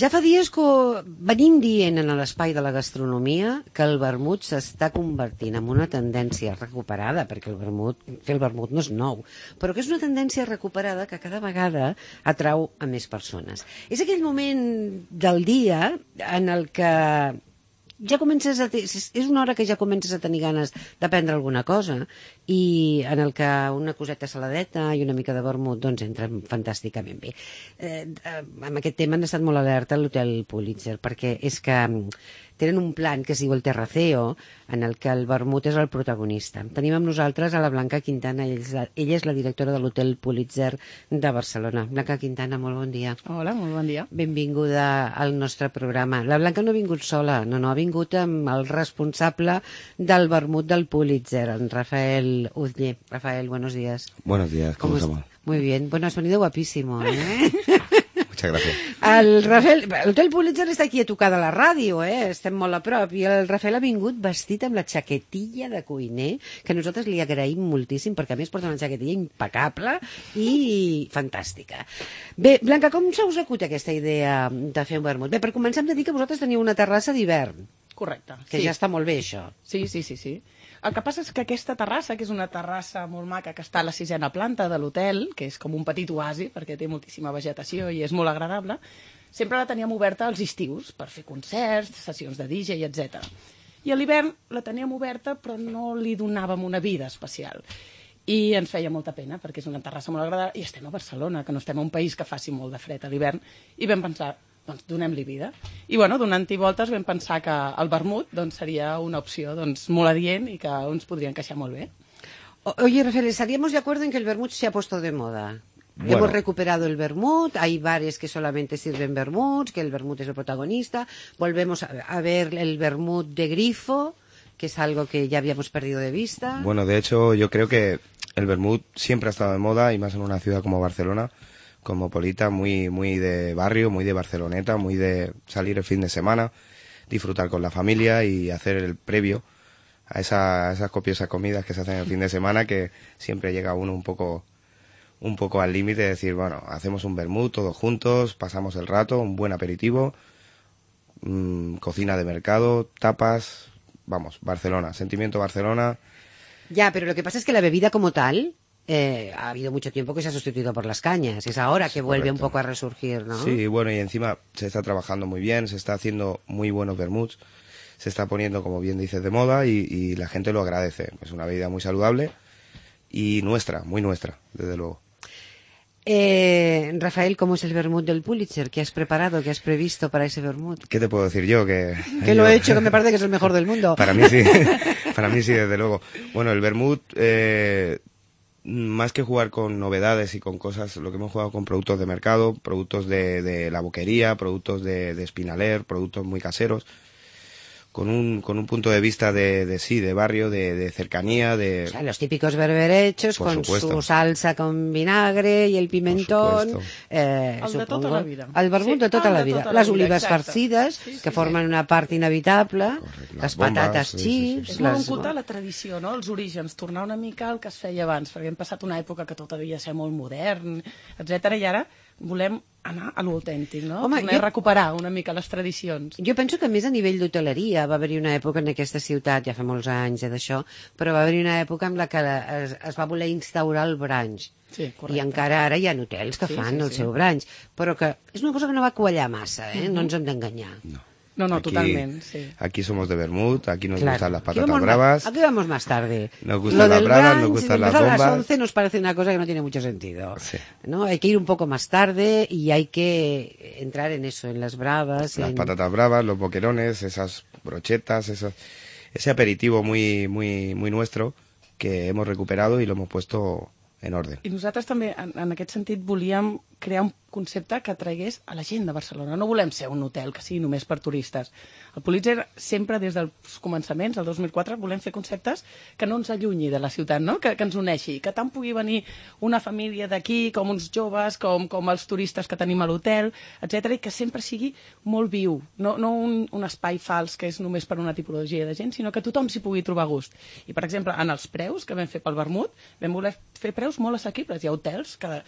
Ja fa dies que venim dient en l'espai de la gastronomia que el vermut s'està convertint en una tendència recuperada, perquè fer el vermut no és nou, però que és una tendència recuperada que cada vegada atrau a més persones. És aquell moment del dia en el que ja és una hora que ja comences a tenir ganes de prendre alguna cosa i en el que una coseta saladeta i una mica de vermut doncs entren fantàsticament bé. Amb aquest tema han estat molt alerta a l'Hotel Pulitzer, perquè és que tenen un plan que es diu el Terraceo, en el que el vermut és el protagonista. Tenim amb nosaltres a la Blanca Quintana, ella és la directora de l'Hotel Pulitzer de Barcelona. Blanca Quintana, molt bon dia. Hola, molt bon dia. Benvinguda al nostre programa. La Blanca no ha vingut sola, no, ha vingut amb el responsable del vermut del Pulitzer, en Rafael Uzlle. Rafael, buenos días. Buenos días, ¿cómo estamos? Muy bien. Bueno, has venido guapísimo, ¿eh? Muchas gracias. El Rafael, l'Hotel Pulitzer està aquí a tocar de la ràdio, estem molt a prop, i el Rafael ha vingut vestit amb la xaquetilla de cuiner, que nosaltres li agraïm moltíssim, perquè a més porta una xaquetilla impecable i fantàstica. Bé, Blanca, com se us acut aquesta idea de fer un vermut? Bé, per començar hem de dir que vosaltres teniu una terrassa d'hivern. Correcte. Que sí. Ja està molt bé, això. Sí. El que passa és que aquesta terrassa, que és una terrassa molt maca que està a la 6ª planta de l'hotel, que és com un petit oasi, perquè té moltíssima vegetació i és molt agradable, sempre la teníem oberta als estius per fer concerts, sessions de DJ, etc. I a l'hivern la teníem oberta però no li donàvem una vida especial. I ens feia molta pena perquè és una terrassa molt agradable i estem a Barcelona, que no estem a un país que faci molt de fred a l'hivern, i vam pensar, doncs donem-li vida. I bueno, donant-hi voltes vam pensar que el vermut doncs, seria una opció doncs, molt adient i que ens podria encaixar molt bé. Oye, Rafael, ¿estaríamos de acuerdo en que el vermut se ha puesto de moda? Bueno. Hemos recuperado el vermut, hay bares que solamente sirven vermuts, que el vermut es el protagonista, volvemos a ver el vermut de grifo, que es algo que ya habíamos perdido de vista. Bueno, de hecho, yo creo que el vermut siempre ha estado de moda, y más en una ciudad como Barcelona, cosmopolita, muy de barrio, muy de Barceloneta, muy de salir el fin de semana, disfrutar con la familia y hacer el previo a esas copiosas comidas que se hacen el fin de semana, que siempre llega uno un poco al límite de decir, bueno, hacemos un vermut todos juntos, pasamos el rato, un buen aperitivo, cocina de mercado, tapas, vamos, Barcelona, sentimiento Barcelona. Ya, pero lo que pasa es que la bebida como tal ha habido mucho tiempo que se ha sustituido por las cañas. Es ahora que vuelve un poco a resurgir, ¿no? Sí, bueno, y encima se está trabajando muy bien, se está haciendo muy buenos vermuts, se está poniendo, como bien dices, de moda y la gente lo agradece. Es una bebida muy saludable y nuestra, muy nuestra, desde luego. Rafael, ¿cómo es el vermut del Pulitzer? ¿Qué has preparado, qué has previsto para ese vermut? ¿Qué te puedo decir yo? Que lo he hecho, que me parece que es el mejor del mundo. Para mí sí, para mí sí, desde luego. Bueno, el vermut, más que jugar con novedades y con cosas, lo que hemos jugado con productos de mercado, productos de la boquería, productos de Espinaler, productos muy caseros, con un punto de vista de barrio, de cercanía, de... O sea, los típicos berberechos con su salsa con vinagre y el pimentón. El de tota la vida. El vermut de tota la vida. Les olives farcides, que formen una part inevitable, les patates chips... És molt oculta la tradició, no? Els orígens, tornar una mica al que es feia abans, perquè hem passat una època que tot havia de ser molt modern, etc. I ara volem anar a l'autèntic, no? Home, recuperar una mica les tradicions. Jo penso que més a nivell d'hoteleria va haver-hi una època en aquesta ciutat, ja fa molts anys d'això, però va haver-hi una època en la que es va voler instaurar el brunch. Sí, correcte. I encara ara hi ha hotels que fan el seu brunch, però que és una cosa que no va quallar massa, no ens hem d'enganyar. No, Aquí, totalment, sí. Aquí somos de vermut, aquí nos gustan las patatas bravas. Aquí vamos más tarde. Nos gustan las bravas, nos gustan las bombas. A las 11 nos parece una cosa que no tiene mucho sentido. Sí. ¿No? Hay que ir un poco más tarde y hay que entrar en eso, en las bravas. Las patatas bravas, los boquerones, esas brochetas, ese aperitivo muy nuestro que hemos recuperado y lo hemos puesto en orden. I nosaltres també, en aquest sentit, volíem crear un concepte que atragués a la gent de Barcelona. No volem ser un hotel que sigui només per turistes. El Pulitzer sempre, des dels començaments, el 2004, volem fer conceptes que no ens allunyi de la ciutat, no? que ens uneixi, que tant pugui venir una família d'aquí, com uns joves, com els turistes que tenim a l'hotel, etc., i que sempre sigui molt viu. No un espai fals que és només per una tipologia de gent, sinó que tothom s'hi pugui trobar a gust. I, per exemple, en els preus que vam fer pel vermut, vam voler fer preus molt assequibles. Hi ha hotels que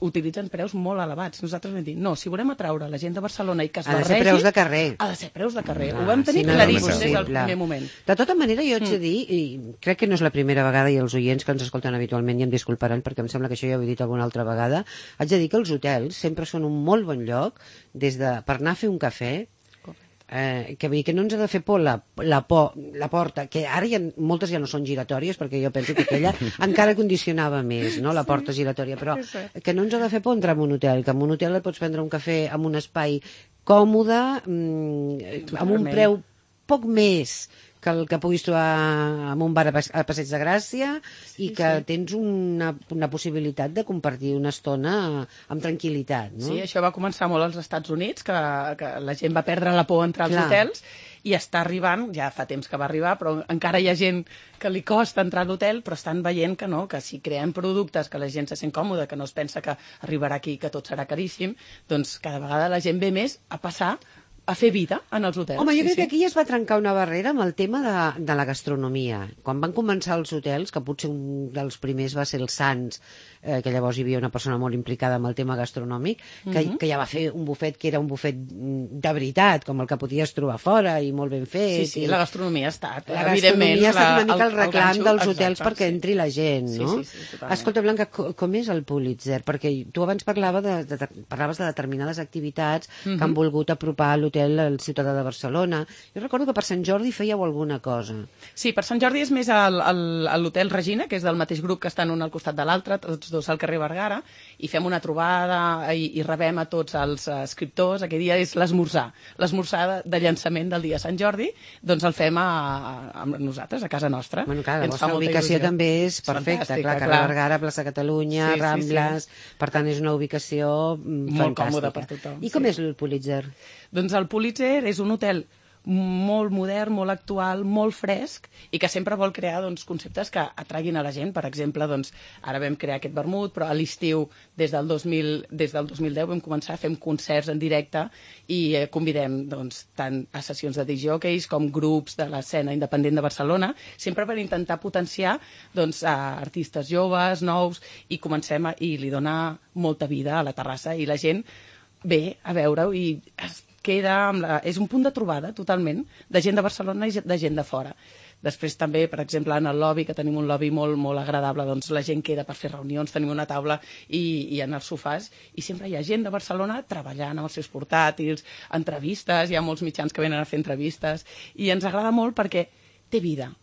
utilitzen preus preus molt elevats. Nosaltres vam dir, no, si volem atraure la gent de Barcelona i que es Ha de barregi... ser preus de carrer. Ha de ser preus de carrer. Ho vam tenir no és claríssim des del impossible. primer moment. De tota manera, jo haig de dir, i crec que no és la primera vegada, i els oients que ens escolten habitualment i em disculparan, perquè em sembla que això ja ho he dit alguna altra vegada, haig de dir que els hotels sempre són un molt bon lloc per anar a fer un cafè, que vull dir que no ens ha de fer por la porta, que ara moltes ja no són giratòries, perquè jo penso que aquella encara condicionava més, no?, la porta giratòria, però que no ens ha de fer por entrar en un hotel, que en un hotel et pots prendre un cafè en un espai còmode, amb un preu poc més que el que puguis trobar en un bar a Passeig de Gràcia, i que tens una possibilitat de compartir una estona amb tranquil·litat, no? Sí, això va començar molt als Estats Units, que la gent va perdre la por a entrar als hotels, i està arribant, ja fa temps que va arribar, però encara hi ha gent que li costa entrar a l'hotel, però estan veient que no, que si creem productes que la gent se sent còmoda, que no es pensa que arribarà aquí i que tot serà caríssim, doncs cada vegada la gent ve més a passar a fer vida en els hotels. Home, jo crec que aquí es va trencar una barrera amb el tema de la gastronomia. Quan van començar els hotels, que potser un dels primers va ser el Sants, que llavors hi havia una persona molt implicada amb el tema gastronòmic, que ja va fer un bufet que era un bufet de veritat, com el que podies trobar fora, i molt ben fet. Sí, la gastronomia ha estat, evidentment. La gastronomia ha estat una mica el reclam dels hotels perquè entri la gent, no? Sí, totalment. Escolta, Blanca, com és el Pulitzer? Perquè tu abans parlaves de determinades activitats que han volgut apropar l'hotel al ciutadà de Barcelona. Jo recordo que per Sant Jordi fèieu alguna cosa. Sí, per Sant Jordi és més a l'Hotel Regina, que és del mateix grup que estan un al costat de l'altre, tots dos al carrer Vergara, i fem una trobada i rebem a tots els escriptors. Aquell dia és l'esmorzar de llançament del dia de Sant Jordi, doncs el fem amb nosaltres, a casa nostra. Bueno, clar, la vostra ubicació també és perfecta, clar, carrer Vergara, plaça Catalunya, Rambles, per tant és una ubicació molt còmoda per tothom. I com és el Pulitzer? Doncs el Pulitzer és un hotel molt modern, molt actual, molt fresc, i que sempre vol crear conceptes que atraguin a la gent. Per exemple, ara vam crear aquest vermut, però a l'estiu, des del 2010, vam començar a fer concerts en directe i convidem tant a sessions de disc jockeys com grups de l'escena independent de Barcelona, sempre per intentar potenciar a artistes joves, nous, i i li dona molta vida a la terrassa, i la gent ve a veure-ho i queda és un punt de trobada totalment de gent de Barcelona i de gent de fora. Després també, per exemple, en el lobby, que tenim un lobby molt, molt agradable, la gent queda per fer reunions, tenim una taula i en els sofàs, i sempre hi ha gent de Barcelona treballant amb els seus portàtils, entrevistes, hi ha molts mitjans que venen a fer entrevistes, i ens agrada molt perquè té vida.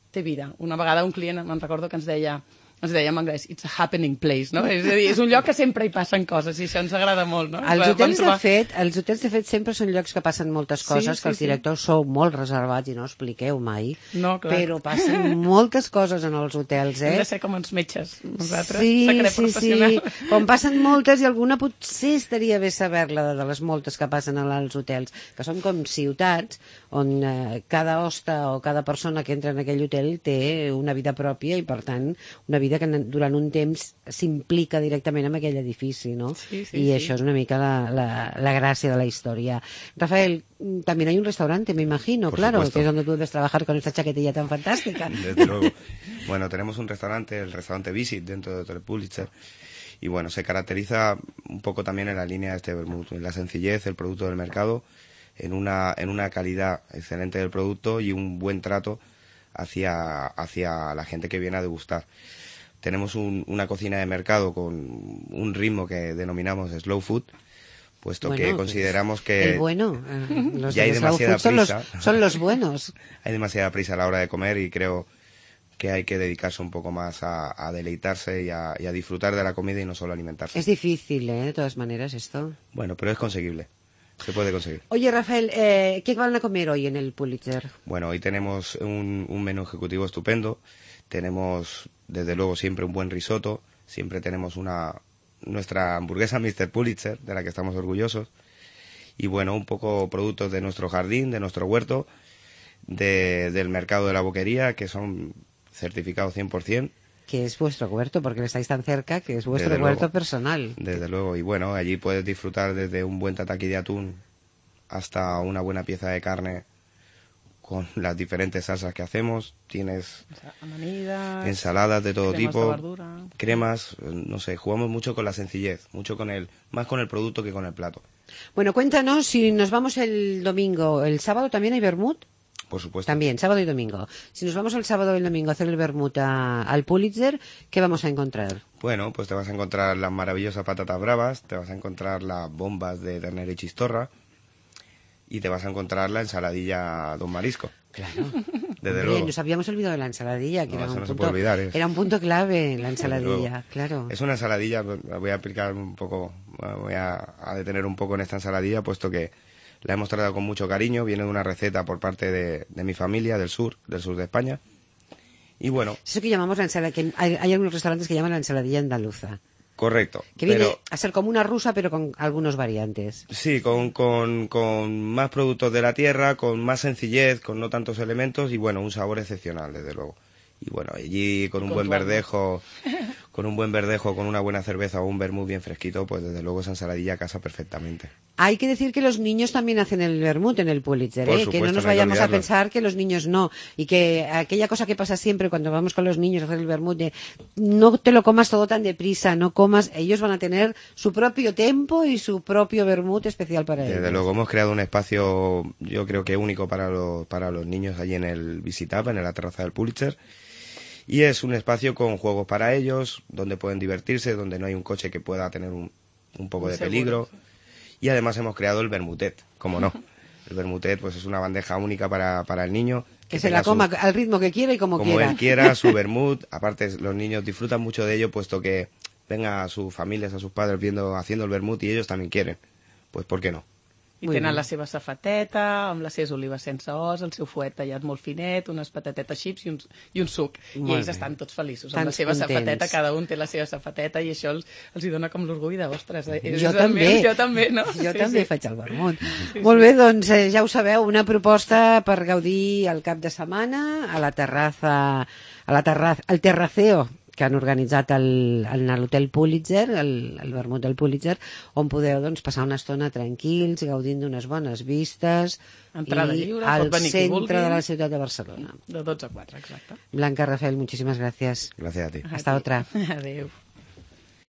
Una vegada un client, me'n recordo, que ens deia en anglès, it's a happening place, no? És a dir, és un lloc que sempre hi passen coses, i això ens agrada molt, no? Els hotels, de fet, sempre són llocs que passen moltes coses, que els directors sou molt reservats i no expliqueu mai, però passen moltes coses en els hotels, Hem de ser com els metges, nosaltres, secret professional. Sí, com passen moltes, i alguna potser estaria bé saber-la de les moltes que passen als hotels, que són com ciutats on cada hoste o cada persona que entra en aquell hotel té una vida pròpia, i per tant una vida que durant un temps s'implica directament amb aquell edifici, ¿no? Y eso es una mica la gracia de la historia. Rafael, también hay un restaurante, me imagino, Por claro, supuesto. que es donde tú debes trabajar con esta chaquetilla tan fantástica. Desde luego. Bueno, tenemos un restaurante, el restaurante Visit, dentro de Hotel Pulitzer, y bueno, se caracteriza un poco también en la línea de este vermut, en la sencillez, el producto del mercado, en una calidad excelente del producto y un buen trato hacia la gente que viene a degustar. Tenemos una cocina de mercado con un ritmo que denominamos slow food, puesto que consideramos que Los ya hay de slow demasiada food prisa. son los buenos. Hay demasiada prisa a la hora de comer, y creo que hay que dedicarse un poco más a deleitarse y a disfrutar de la comida y no solo alimentarse. Es difícil, de todas maneras, esto. Bueno, pero es conseguible. Se puede conseguir. Oye, Rafael, ¿qué van a comer hoy en el Pulitzer? Bueno, hoy tenemos un menú ejecutivo estupendo. Tenemos, desde luego, siempre un buen risotto. Siempre tenemos nuestra hamburguesa Mr. Pulitzer, de la que estamos orgullosos. Y bueno, un poco productos de nuestro jardín, de nuestro huerto, del mercado de la boquería, que son certificados 100%. Que es vuestro huerto, porque estáis tan cerca, que es vuestro Desde huerto luego. personal. Desde luego. Y bueno, allí puedes disfrutar desde un buen tataki de atún hasta una buena pieza de carne con las diferentes salsas que hacemos. Tienes Amanides, ensaladas de todo cremes tipo, de verdura. cremas, no sé, jugamos mucho con la sencillez, más con el producto que con el plato. Bueno, cuéntanos, si nos vamos el domingo, el sábado también hay vermut. Por supuesto. También, sábado y domingo. Si nos vamos el sábado y el domingo a hacer el vermut al Pulitzer, ¿qué vamos a encontrar? Bueno, pues te vas a encontrar las maravillosas patatas bravas, te vas a encontrar las bombas de ternera y chistorra y te vas a encontrar la ensaladilla Don Marisco. Claro. Desde Hombre, luego. nos habíamos olvidado de la ensaladilla, que No, era eso un no se punto, puede olvidar, era un punto clave, la Desde luego. ensaladilla, claro. Es una ensaladilla, me voy a explicar un poco, me voy a detener un poco en esta ensaladilla, puesto que la hemos tratado con mucho cariño, viene de una receta por parte de mi familia del sur de España. Y bueno, Eso que llamamos la ensaladilla, que hay algunos restaurantes que llaman la ensaladilla andaluza, correcto. que viene Pero a ser como una rusa, pero con algunos variantes. sí, con más productos de la tierra, con más sencillez, con no tantos elementos y bueno, un sabor excepcional, desde luego. Y bueno, allí con un buen verdejo, con una buena cerveza o un vermut bien fresquito, pues desde luego esa ensaladilla casa perfectamente. Hay que decir que los niños también hacen el vermut en el Pulitzer, Por que supuesto, no nos no hay que vayamos a olvidarlo. pensar que los niños no, y que aquella cosa que pasa siempre cuando vamos con los niños a hacer el vermut de no te lo comas todo tan deprisa, no comas, ellos van a tener su propio tempo y su propio vermut especial para ellos. Desde luego hemos creado un espacio, yo creo que único para los niños allí en el Visitap, en la terraza del Pulitzer. Y es un espacio con juegos para ellos, donde pueden divertirse, donde no hay un coche que pueda tener un poco de Seguro. peligro. Y además hemos creado el vermutet, como no. El vermutet pues es una bandeja única para el niño. Que se la tenga coma al ritmo que quiera y como quiera. él quiera, su vermut. Aparte, los niños disfrutan mucho de ello, puesto que venga a sus familias, a sus padres haciendo el vermut y ellos también quieren. Pues, ¿por qué no? I Muy tenen bé. la seva safateta, amb les seves olives sense os, el seu fuet tallat molt finet, unes patatetes xips i un suc. Molt I ells bé. estan tots feliços. Tan Amb la seva contents. safateta, cada un té la seva safateta i això els hi dona com l'orgull de, ostres, Jo també. Jo també, no? Jo també faig el vermut. Molt bé, doncs ja ho sabeu, una proposta per gaudir el cap de setmana a la terraza, al terraceo que han organitzat a l'Hotel Pulitzer, el vermut del Pulitzer, on podeu doncs, passar una estona tranquils, gaudint d'unes bones vistes, Entrada i lliure, al pot venir qui vulgui. centre de la ciutat de Barcelona. De 12 a 4, exacte. Blanca, Rafael, muchísimas gracias. Gracias a ti. Hasta otra. Adéu.